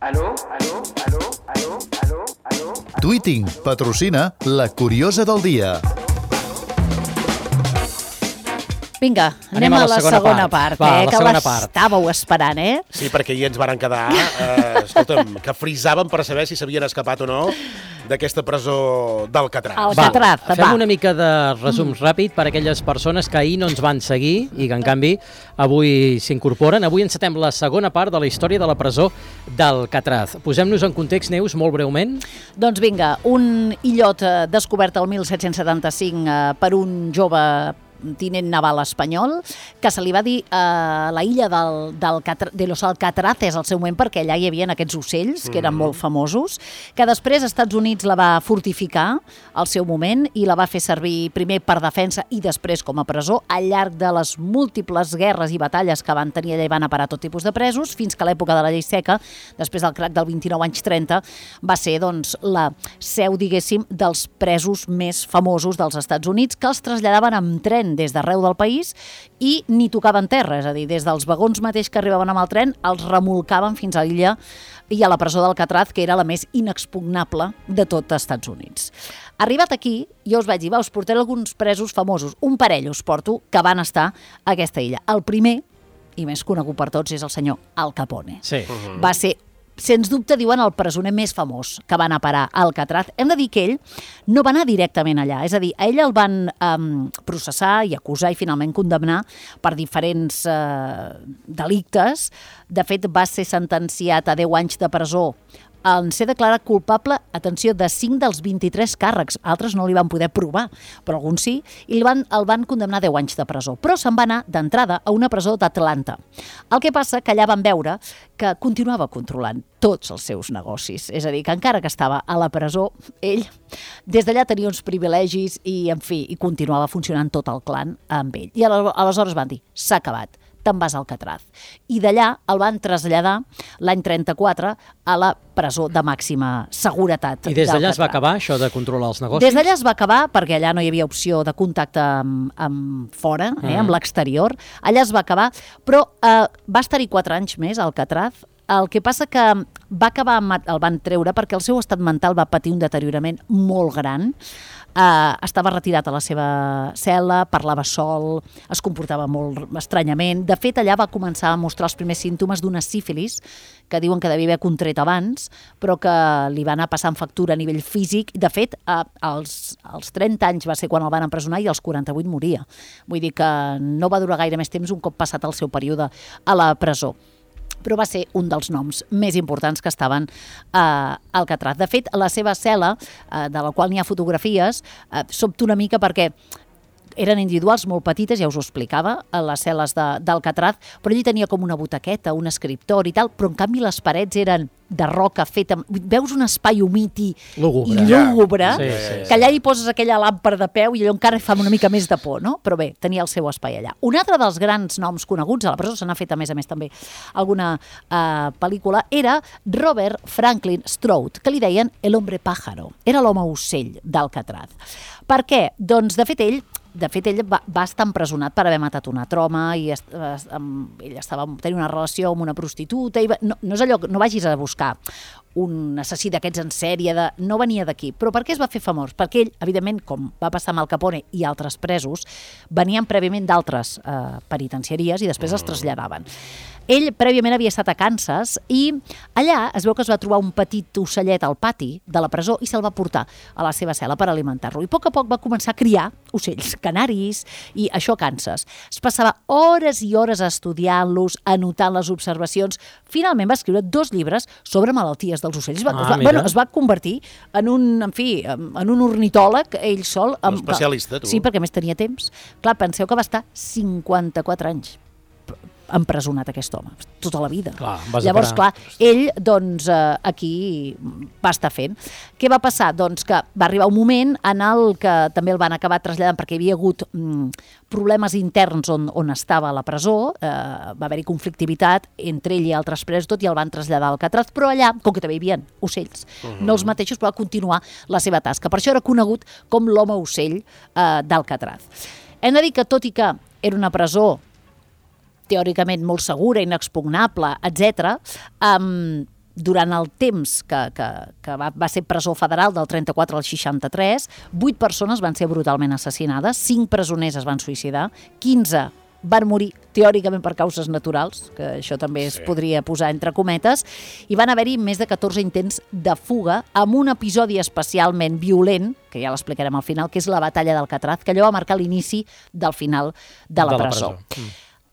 Aló, aló, aló, aló, aló, aló. Tweeting patrocina La Curiosa del Dia. Vinga, anem a la segona part, Va, la que segona part. l'estàveu esperant, Sí, perquè ahir ens varen quedar, escolta'm, que frisàvem per saber si s'havien escapat o no d'aquesta presó d'Alcatraz. Alcatraz, va. Fem una mica de resum ràpid per a aquelles persones que ahir no ens van seguir i que, en canvi, avui s'incorporen. Avui encetem la segona part de la història de la presó d'Alcatraz. Posem-nos en context, Neus, molt breument. Doncs vinga, un illot descobert el 1775 per un jove tinent naval espanyol, que se li va dir la illa de los Alcatraces al seu moment, perquè allà hi havia aquests ocells, que eren molt famosos, que després als Estats Units la va fortificar al seu moment i la va fer servir primer per defensa i després com a presó al llarg de les múltiples guerres i batalles que van tenir allà i van a parar tot tipus de presos, fins que a l'època de la llei seca, després del crac del 29 anys 30, va ser doncs, la seu, diguéssim, dels presos més famosos dels Estats Units, que els traslladaven amb tren des d'arreu del país i ni tocaven terra, és a dir, des dels vagons mateix que arribaven amb el tren, els remolcaven fins a l'illa i a la presó d'Alcatraz, que era la més inexpugnable de tot Estats Units. Arribat aquí, jo us vaig dir, us portaré alguns presos famosos, un parell us porto, que van estar a aquesta illa. El primer, i més conegut per tots, és el senyor Al Capone. Sí. Va ser, sens dubte, diuen, el presoner més famós que va anar a parar a Alcatraz. Hem de dir que ell no va anar directament allà, és a dir, a ell el van processar i acusar i finalment condemnar per diferents delictes. De fet, va ser sentenciat a 10 anys de presó en ser declarat culpable, atenció, de 5 dels 23 càrrecs. Altres no li van poder provar, però alguns sí, i el van condemnar a 10 anys de presó. Però se'n va anar d'entrada a una presó d'Atlanta. El que passa que allà van veure que continuava controlant tots els seus negocis. És a dir, que encara que estava a la presó, ell des d'allà tenia uns privilegis i, en fi, i continuava funcionant tot el clan amb ell. I aleshores van dir, s'ha acabat, te'n vas a Alcatraz. I d'allà el van traslladar l'any 34 a la presó de màxima seguretat. I des d'allà es va acabar això de controlar els negocis? Des d'allà es va acabar, perquè allà no hi havia opció de contacte amb fora, amb l'exterior. Allà es va acabar, però va estar-hi 4 anys més a Alcatraz. El que passa que va acabar, el van treure perquè el seu estat mental va patir un deteriorament molt gran. Estava retirat a la seva cel·la, parlava sol, es comportava molt estranyament. De fet, allà va començar a mostrar els primers símptomes d'una sífilis que diuen que devia haver contret abans, però que li va anar passant factura a nivell físic. De fet, als 30 anys va ser quan el van empresonar i als 48 moria. Vull dir que no va durar gaire més temps un cop passat el seu període a la presó. Però va ser un dels noms més importants que estaven a Alcatraz. De fet, la seva cel·la, de la qual n'hi ha fotografies, sobta una mica perquè eren individuals molt petites, ja us ho explicava, a les cel·les d'Alcatraz, però ell tenia com una butaqueta, un escriptori i tal, però en canvi les parets eren de roca feta... Veus un espai humit i lúgubre, que allà hi poses aquella làmpara de peu i allò encara fa una mica més de por, no? Però bé, tenia el seu espai allà. Un altre dels grans noms coneguts, a la presó se n'ha fet a més també alguna pel·lícula, era Robert Franklin Stroud, que li deien el hombre pájaro. Era l'home ocell d'Alcatraz. Per què? Doncs, de fet, ell va estar empresonat per haver matat una troma i ell tenia una relació amb una prostituta. No és allò, no vagis a buscar un assassí d'aquests en sèrie, no venia d'aquí. Però per què es va fer famós? Perquè ell, evidentment, com va passar amb Al Capone i altres presos, venien prèviament d'altres penitenciaries i després els traslladaven. Ell prèviament havia estat a Kansas i allà es veu que es va trobar un petit ocellet al pati de la presó i se'l va portar a la seva cel·la per alimentar-lo. I a poc va començar a criar ocells, canaris, i això a Kansas. Es passava hores i hores estudiant-los, anotant les observacions. Finalment va escriure 2 llibres sobre malalties dels ocells. Es va convertir en un ornitòleg, ell sol. Un especialista, tu. Sí, perquè més tenia temps. Clar, penseu que va estar 54 anys empresonat aquest home, tota la vida. Llavors, clar, ell doncs aquí va estar fent. Què va passar? Doncs que va arribar un moment en el que també el van acabar traslladant perquè hi havia hagut problemes interns on estava a la presó, va haver-hi conflictivitat entre ell i altres presos, tot, i el van traslladar a Alcatraz, però allà, com que també hi havia ocells, no els mateixos, però va continuar la seva tasca. Per això era conegut com l'home ocell d'Alcatraz. Hem de dir que, tot i que era una presó teòricament molt segura, inexpugnable, etc., durant el temps que va ser presó federal del 34 al 63, 8 persones van ser brutalment assassinades, 5 presoners es van suïcidar, 15 van morir teòricament per causes naturals, que això també es podria posar entre cometes, i van haver-hi més de 14 intents de fuga amb un episodi especialment violent, que ja l'explicarem al final, que és la batalla d'Alcatraz, que allò va marcar l'inici del final de la presó.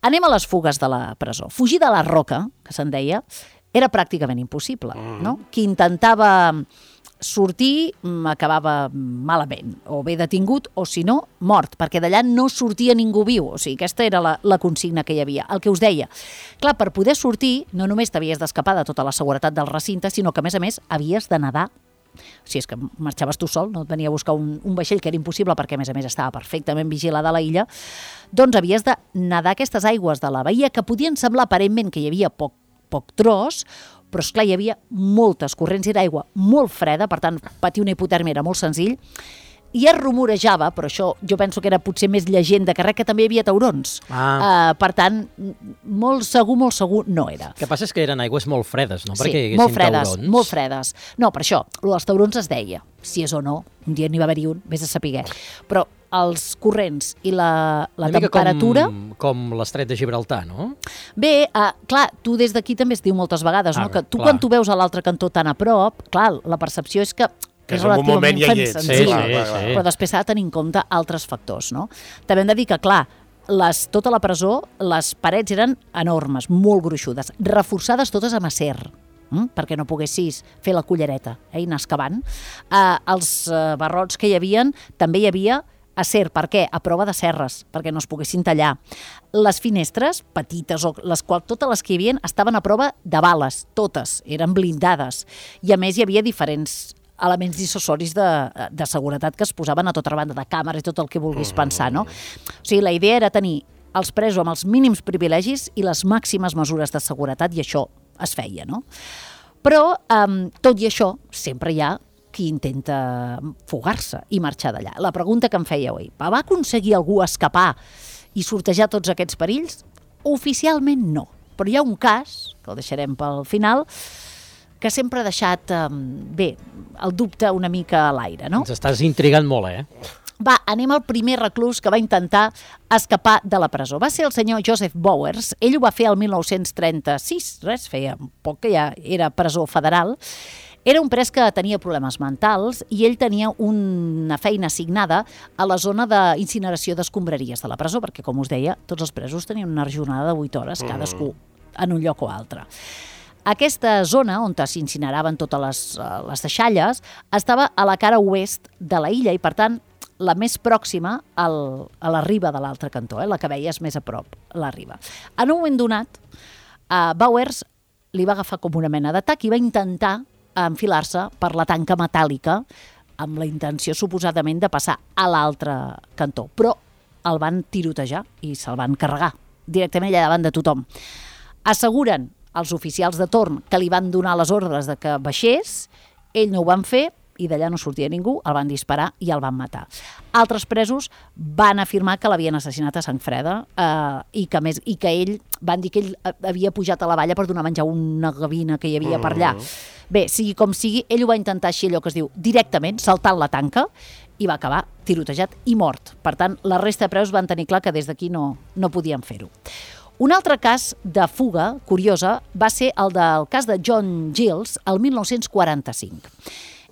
Anem a les fugues de la presó. Fugir de la roca, que se'n deia, era pràcticament impossible, no? Qui intentava sortir acabava malament, o bé detingut o, si no, mort, perquè d'allà no sortia ningú viu. O sigui, aquesta era la consigna que hi havia. El que us deia, clar, per poder sortir no només t'havies d'escapar de tota la seguretat del recinte, sinó que, a més, havies de nedar. Si és que marxaves tu sol, no et venia a buscar un vaixell, que era impossible perquè, a més, estava perfectament vigilada la illa, doncs havies de nedar aquestes aigües de la bahia que podien semblar aparentment que hi havia poc tros, però esclar, hi havia moltes corrents d'aigua molt freda, per tant, patir una hipotèrmia era molt senzill, i es rumorejava, però això jo penso que era potser més llegenda que res, que també hi havia taurons. Per tant, molt segur no era. El que passa és que eren aigües molt fredes, no? Sí, Perquè hi haguessin taurons. molt fredes. No, per això, els taurons es deia, si és o no, un dia n'hi va haver-hi un, vés a saber. Però els corrents i la temperatura... Com l'estret de Gibraltar, no? Bé, clar, tu des d'aquí també es diu moltes vegades, no? Que tu quan tu veus a l'altre cantó tan a prop, clar, la percepció és que és relativament senzill, però després s'ha de tenir en compte altres factors, no? També hem de dir que, clar, tota la presó, les parets eren enormes, molt gruixudes, reforçades totes amb acer, perquè no poguessis fer la cullereta i anar excavant. Els barrots que hi havia, també hi havia acer. Per què? A prova de serres, perquè no es poguessin tallar. Les finestres, petites, totes les que hi havia, estaven a prova de bales, totes, eren blindades. I a més hi havia diferents elements dissuasoris de seguretat que es posaven a tota banda, de càmeres i tot el que vulguis pensar, no? O sigui, la idea era tenir els presos amb els mínims privilegis i les màximes mesures de seguretat, i això es feia, no? Però, tot i això, sempre hi ha qui intenta fugar-se i marxar d'allà. La pregunta que em feia avui, va aconseguir algú escapar i sortejar tots aquests perills? Oficialment no, però hi ha un cas, que el deixarem pel final, que sempre ha deixat, el dubte una mica a l'aire, no? Ens estàs intrigant molt, Va, anem al primer reclús que va intentar escapar de la presó. Va ser el senyor Joseph Bowers. Ell ho va fer el 1936, feia poc que ja era presó federal. Era un pres que tenia problemes mentals i ell tenia una feina assignada a la zona d'incineració d'escombraries de la presó, perquè, com us deia, tots els presos tenien una jornada de 8 hores, cadascú en un lloc o altre. Aquesta zona on s'incineraven totes les deixalles estava a la cara oest de la illa i, per tant, la més pròxima a la riba de l'altre cantó, la que veies més a prop, la riba. En un moment donat, Bowers li va agafar com una mena d'atac i va intentar enfilar-se per la tanca metàl·lica amb la intenció, suposadament, de passar a l'altre cantó. Però el van tirotejar i se'l van carregar directament allà davant de tothom. Asseguren els oficials de torn que li van donar les ordres de que baixés, ell no ho van fer i d'allà no sortia ningú, el van disparar i el van matar. Altres presos van afirmar que l'havien assassinat a sang freda i que ell, van dir que ell havia pujat a la valla per donar menjar una gavina que hi havia per allà. Bé, sigui com sigui, ell ho va intentar així, allò que es diu, directament, saltant la tanca, i va acabar tirotejat i mort. Per tant, la resta de presos van tenir clar que des d'aquí no podien fer-ho. Un altre cas de fuga curiosa va ser el del cas de John Giles el 1945.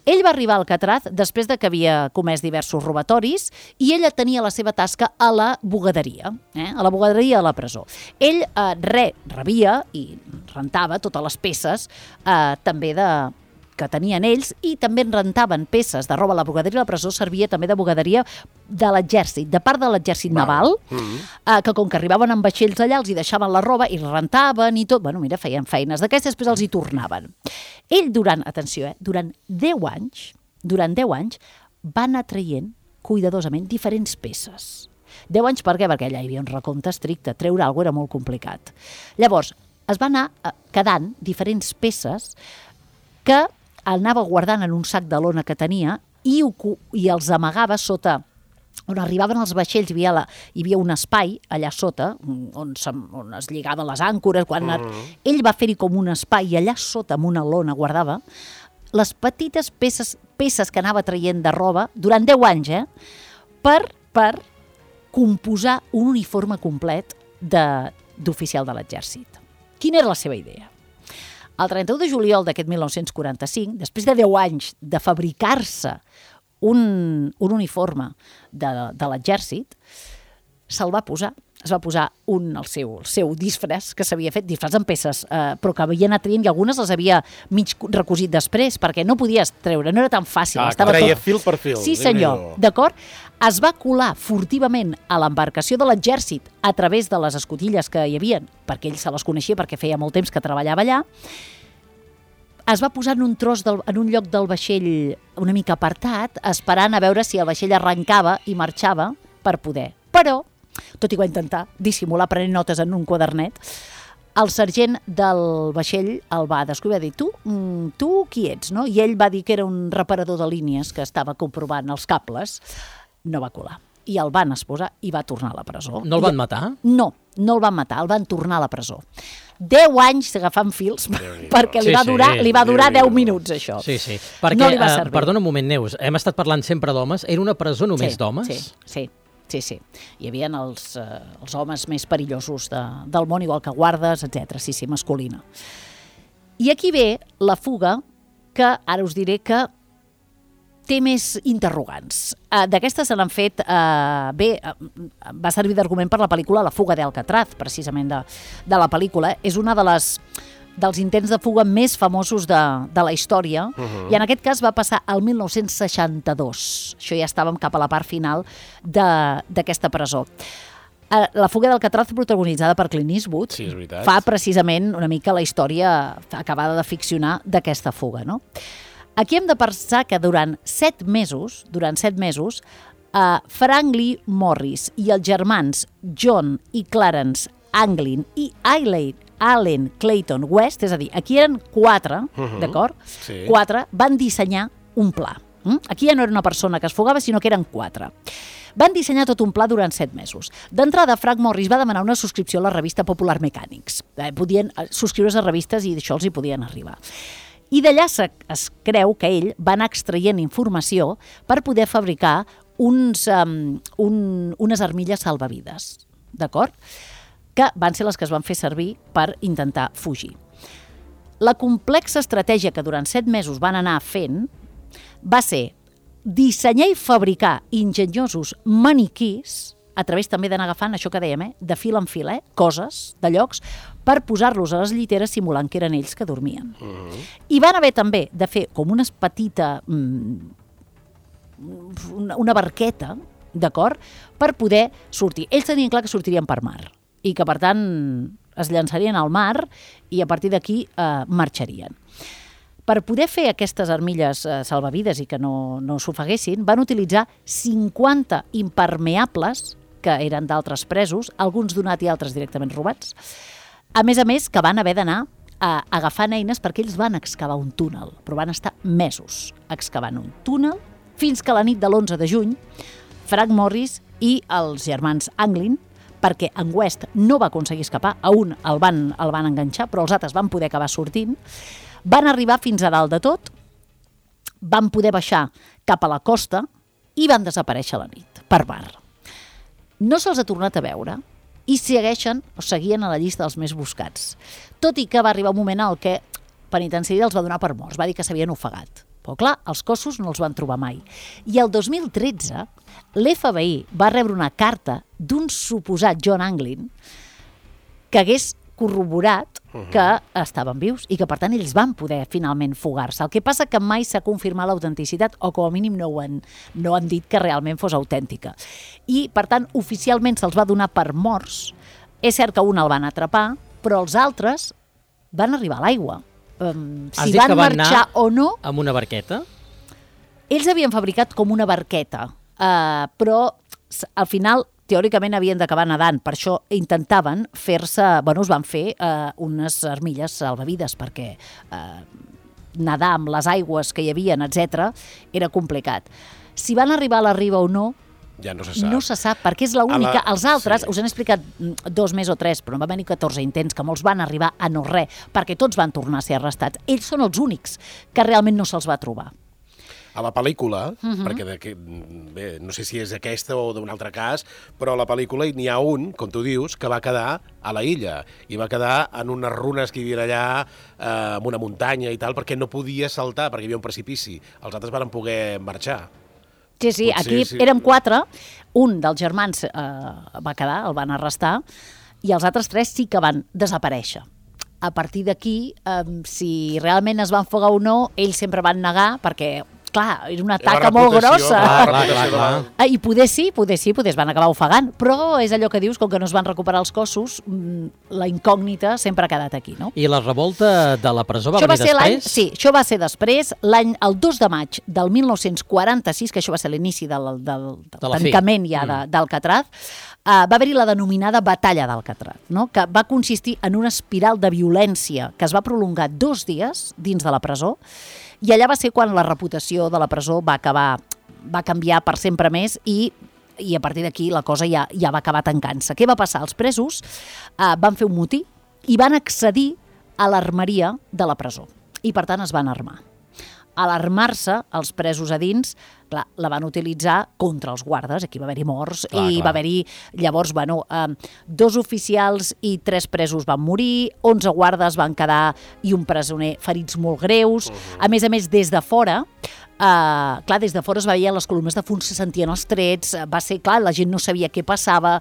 Ell va arribar a Alcatraz després de que havia comès diversos robatoris i ella tenia la seva tasca a la bugaderia, a la bugaderia de la presó. Ell rebia i rentava totes les peces també que tenien ells i també en rentaven peces de roba. La bugaderia de la presó servia també de bugaderia de l'exèrcit, de part de l'exèrcit naval, que com que arribaven amb vaixells allà els hi deixaven la roba i rentaven i tot. Bueno, mira, feien feines d'aquestes, després els hi tornaven. Ell durant 10 anys va anar traient cuidadosament diferents peces. 10 anys per què? Perquè allà hi havia un recompte estricte, treure alguna cosa era molt complicat. Llavors, es va anar quedant diferents peces que anava guardant en un sac de lona que tenia i els amagava sota on arribaven els vaixells, hi havia un espai allà sota, on es lligaven les àncores. Ell va fer-hi com un espai i allà sota, amb una lona, guardava les petites peces que anava traient de roba durant 10 anys, per composar un uniforme complet d'oficial de l'exèrcit. Quina era la seva idea? El 31 de juliol d'aquest 1945, després de 10 anys de fabricar-se un uniforme de l'exèrcit, es va posar el seu disfraç, que s'havia fet, disfraç amb peces, però que havia anat traient, i algunes les havia mig recosit després, perquè no podies treure, no era tan fàcil. Treia fil per fil. Sí, senyor, d'acord? Es va colar furtivament a l'embarcació de l'exèrcit a través de les escotilles que hi havia, perquè ell se les coneixia, perquè feia molt temps que treballava allà. Es va posar en un lloc del vaixell una mica apartat, esperant a veure si el vaixell arrencava i marxava per poder. Però, tot i que va intentar dissimular prenent notes en un quadernet, el sergent del vaixell el va descobrir, va dir, tu qui ets, no? I ell va dir que era un reparador de línies que estava comprovant els cables. No va colar. I el van esposar i va tornar a la presó. No el van matar? No el van matar, el van tornar a la presó. 10 anys agafant fils, perquè li va durar 10 minuts, això. Sí. Perquè, no li va servir. Perdona un moment, Neus, hem estat parlant sempre d'homes. Era una presó només d'homes? Sí. Hi havia els homes més perillosos del món, igual que guardes, etc. Sí, masculina. I aquí ve la fuga, que ara us diré que té més interrogants. D'aquestes se n'han fet... va servir d'argument per la pel·lícula La fuga d'Alcatraz, precisament de la pel·lícula. És una dels intents de fuga més famosos de la història, i en aquest cas va passar al 1962. Això ja estàvem cap a la part final d'aquesta presó. La fuga d'Alcatraz, protagonitzada per Clint Eastwood, sí, és veritat, fa precisament una mica la història acabada de ficcionar d'aquesta fuga, no? Aquí hem de pensar que durant 7 mesos, Frank Morris i els germans John i Clarence Anglin i Allen Clayton West, és a dir, aquí eren 4, d'acord? Sí. 4 van dissenyar un pla. Aquí ja no era una persona que es fugava, sinó que eren 4. Van dissenyar tot un pla durant 7 mesos. D'entrada, Frank Morris va demanar una subscripció a la revista Popular Mechanics. Podien subscriure's a revistes i d'això els hi podien arribar. I d'allà es creu que ell va anar extraient informació per poder fabricar unes armilles salvavides, d'acord? Que van ser les que es van fer servir per intentar fugir. La complexa estratègia que durant 7 mesos van anar fent va ser dissenyar i fabricar enginyosos maniquís, a través també d'anar agafant això que dèiem, de fil en fil, coses de llocs, per posar-los a les lliteres simulant que eren ells que dormien. I van haver també de fer com una petita... una barqueta, d'acord?, per poder sortir. Ells tenien clar que sortirien per mar i que, per tant, es llançarien al mar i a partir d'aquí marxarien. Per poder fer aquestes armilles salvavides i que no s'ofeguessin, van utilitzar 50 impermeables que eren d'altres presos, alguns donats i altres directament robats. A més, que van haver d'anar agafant eines perquè ells van excavar un túnel, però van estar mesos excavant un túnel fins que la nit de l'11 de juny Frank Morris i els germans Anglin, perquè en West no va aconseguir escapar, a un el van enganxar, però els altres van poder acabar sortint, van arribar fins a dalt de tot, van poder baixar cap a la costa i van desaparèixer a la nit, per mar. No se'ls ha tornat a veure i seguien a la llista dels més buscats. Tot i que va arribar un moment en què Penitenciari els va donar per morts, va dir que s'havien ofegat. Però clar, els cossos no els van trobar mai. I el 2013, l'FBI va rebre una carta d'un suposat John Anglin que hagués corroborat que estaven vius i que, per tant, ells van poder finalment fugar-se. El que passa que mai s'ha confirmat l'autenticitat o, com a mínim, no han dit que realment fos autèntica. I, per tant, oficialment se'ls va donar per morts. És cert que un el van atrapar, però els altres van arribar a l'aigua. Si van marxar o no... Amb una barqueta? Ells havien fabricat com una barqueta, però al final teòricament havien d'acabar nedant, per això intentaven fer-se, es van fer unes armilles salvavides perquè nedar amb les aigües que hi havia, etc., era complicat. Si van arribar a la riba o no, Ja no se sap. No se sap, perquè és l'única. Els altres, Sí. us han explicat 2 més o 3, però en va venir 14 intents, que molts van arribar a no res, perquè tots van tornar a ser arrestats. Ells són els únics que realment no se'ls va trobar. A la pel·lícula, perquè bé, no sé si és aquesta o d'un altre cas, però a la pel·lícula n'hi ha un, com tu dius, que va quedar a la illa i va quedar en unes runes que hi havia allà, en una muntanya i tal, perquè no podia saltar, perquè hi havia un precipici. Els altres van poder marxar. Sí, Potser aquí sí. érem 4, un dels germans va quedar, el van arrestar, i els altres 3 sí que van desaparèixer. A partir d'aquí, si realment es van fugar o no, ells sempre van negar, perquè clar, era una taca molt grossa. Clar. I poder es van acabar ofegant, però és allò que dius, com que no es van recuperar els cossos, la incògnita sempre ha quedat aquí, no? I la revolta de la presó va Això venir després? Sí, això va ser després, el 2 de maig del 1946, que això va ser l'inici del tancament ja d'Alcatraz, va haver-hi la denominada Batalla d'Alcatraz, no? Que va consistir en una espiral de violència que es va prolongar 2 dies dins de la presó, i allà va ser quan la reputació de la presó va canviar per sempre més i a partir d'aquí la cosa ja va acabar tancant-se. Què va passar? Els presos van fer un motí i van accedir a l'armeria de la presó i per tant es van armar. A l'armar-se, els presos a dins, clar, la van utilitzar contra els guardes, aquí va haver-hi morts, va haver-hi, llavors, 2 oficials i 3 presos van morir, 11 guardes van quedar i un presoner ferits molt greus. A més, des de fora, des de fora es veien les columnes de fum, se sentien els trets, va ser, clar, la gent no sabia què passava.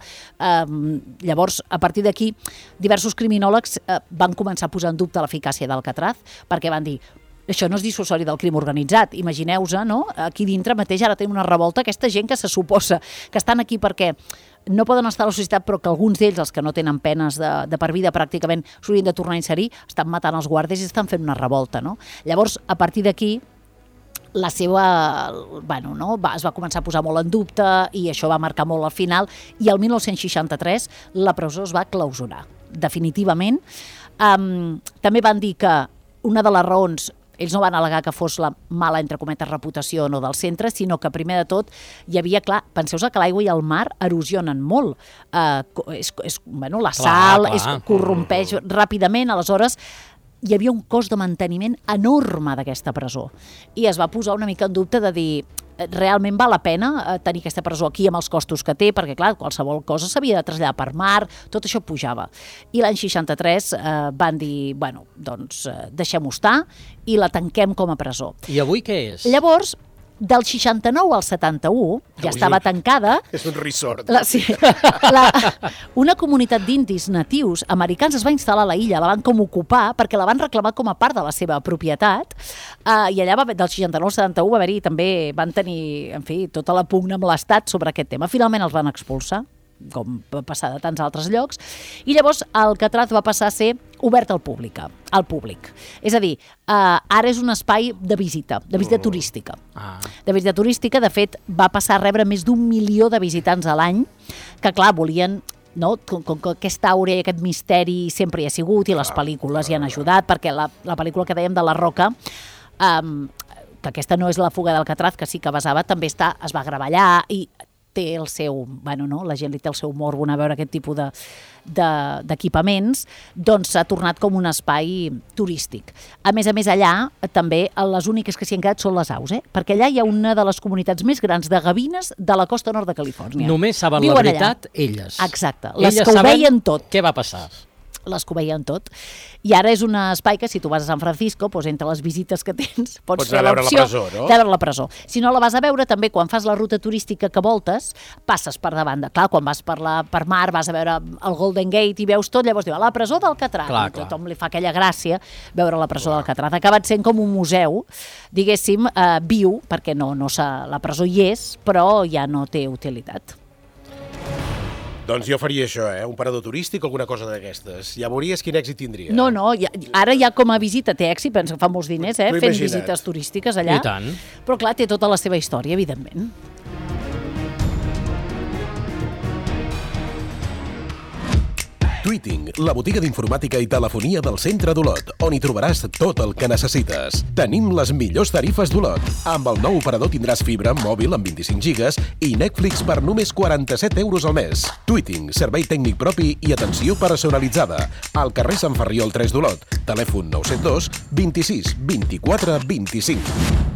Llavors, a partir d'aquí, diversos criminòlegs van començar a posar en dubte l'eficàcia d'Alcatraz, perquè van dir, això no és dissuasori del crim organitzat, imagineu-vos, no? Aquí dintre mateix ara tenim una revolta, aquesta gent que se suposa que estan aquí perquè no poden estar a la societat, però que alguns d'ells, els que no tenen penes de per vida pràcticament, s'haurien de tornar a inserir, estan matant els guàrdies i estan fent una revolta, no? Llavors, a partir d'aquí, la seva, es va començar a posar molt en dubte i això va marcar molt al final, i el 1963 la presó es va clausurar, definitivament. També van dir que una de les raons, ells no van al·legar que fos la mala, entre cometes, reputació no del centre, sinó que primer de tot hi havia, clar, penseu-vos que l'aigua i el mar erosionen molt. La sal corrompeix ràpidament, aleshores hi havia un cost de manteniment enorme d'aquesta presó. I es va posar una mica en dubte de dir, realment val la pena tenir aquesta presó aquí amb els costos que té, perquè clar, qualsevol cosa s'havia de traslladar per mar, tot això pujava. I l'any 63 van dir, deixem-ho estar i la tanquem com a presó. I avui què és? Llavors, del 69 al 71, ja estava tancada... És un resort. Una comunitat d'indis natius americans es va instal·lar a la illa, la van com ocupar perquè la van reclamar com a part de la seva propietat, i allà del 69 al 71 va haver-hi també, van tenir, en fi, tota la pugna amb l'Estat sobre aquest tema. Finalment els van expulsar, com va passar de tants altres llocs, i llavors Alcatraz va passar a ser obert al públic. És a dir, ara és un espai de visita turística. De visita turística, de fet, va passar a rebre més d'1 milió de visitants a l'any, que clar, volien, no? Com que aquesta àurea i aquest misteri sempre hi ha sigut i les pel·lícules hi han ajudat, perquè la pel·lícula que dèiem de La Roca, que aquesta no és La fuga d'Alcatraz, que sí que basava, també es va gravar allà i té el seu, la gent li té el seu morbo a veure aquest tipus d'equipaments, doncs s'ha tornat com un espai turístic. A més, allà també les úniques que s'hi han quedat són les aus, perquè allà hi ha una de les comunitats més grans de gavines de la costa nord de Califòrnia. Només saben la veritat elles. Exacte, les que ho veien tot. Què va passar? Les que ho veien tot. I ara és un espai que si tu vas a San Francisco, doncs entre les visites que tens, pots fer l'opció de veure la presó. Si no la vas a veure, també quan fas la ruta turística que voltes, passes per davant. Clar, quan vas per mar, vas a veure el Golden Gate i veus tot, llavors diu, la presó d'Alcatraz. Tothom li fa aquella gràcia veure la presó d'Alcatraz. Ha acabat sent com un museu, diguéssim, viu, perquè la presó hi és, però ja no té utilitat. Doncs jo faria això, un parador turístic o alguna cosa d'aquestes. Ja veuries quin èxit tindria. No, ara ja com a visita té èxit, penso que fa molts diners, fent visites turístiques allà. I tant. Però clar, té tota la seva història, evidentment. Tweeting, la botiga d'informàtica i telefonia del centre d'Olot, on hi trobaràs tot el que necessites. Tenim les millors tarifes d'Olot. Amb el nou operador tindràs fibra, mòbil amb 25 gigas i Netflix per només 47 euros al mes. Tweeting, servei tècnic propi i atenció personalitzada. Al carrer Sant Ferriol 3 d'Olot. Telèfon 972 26 24 25.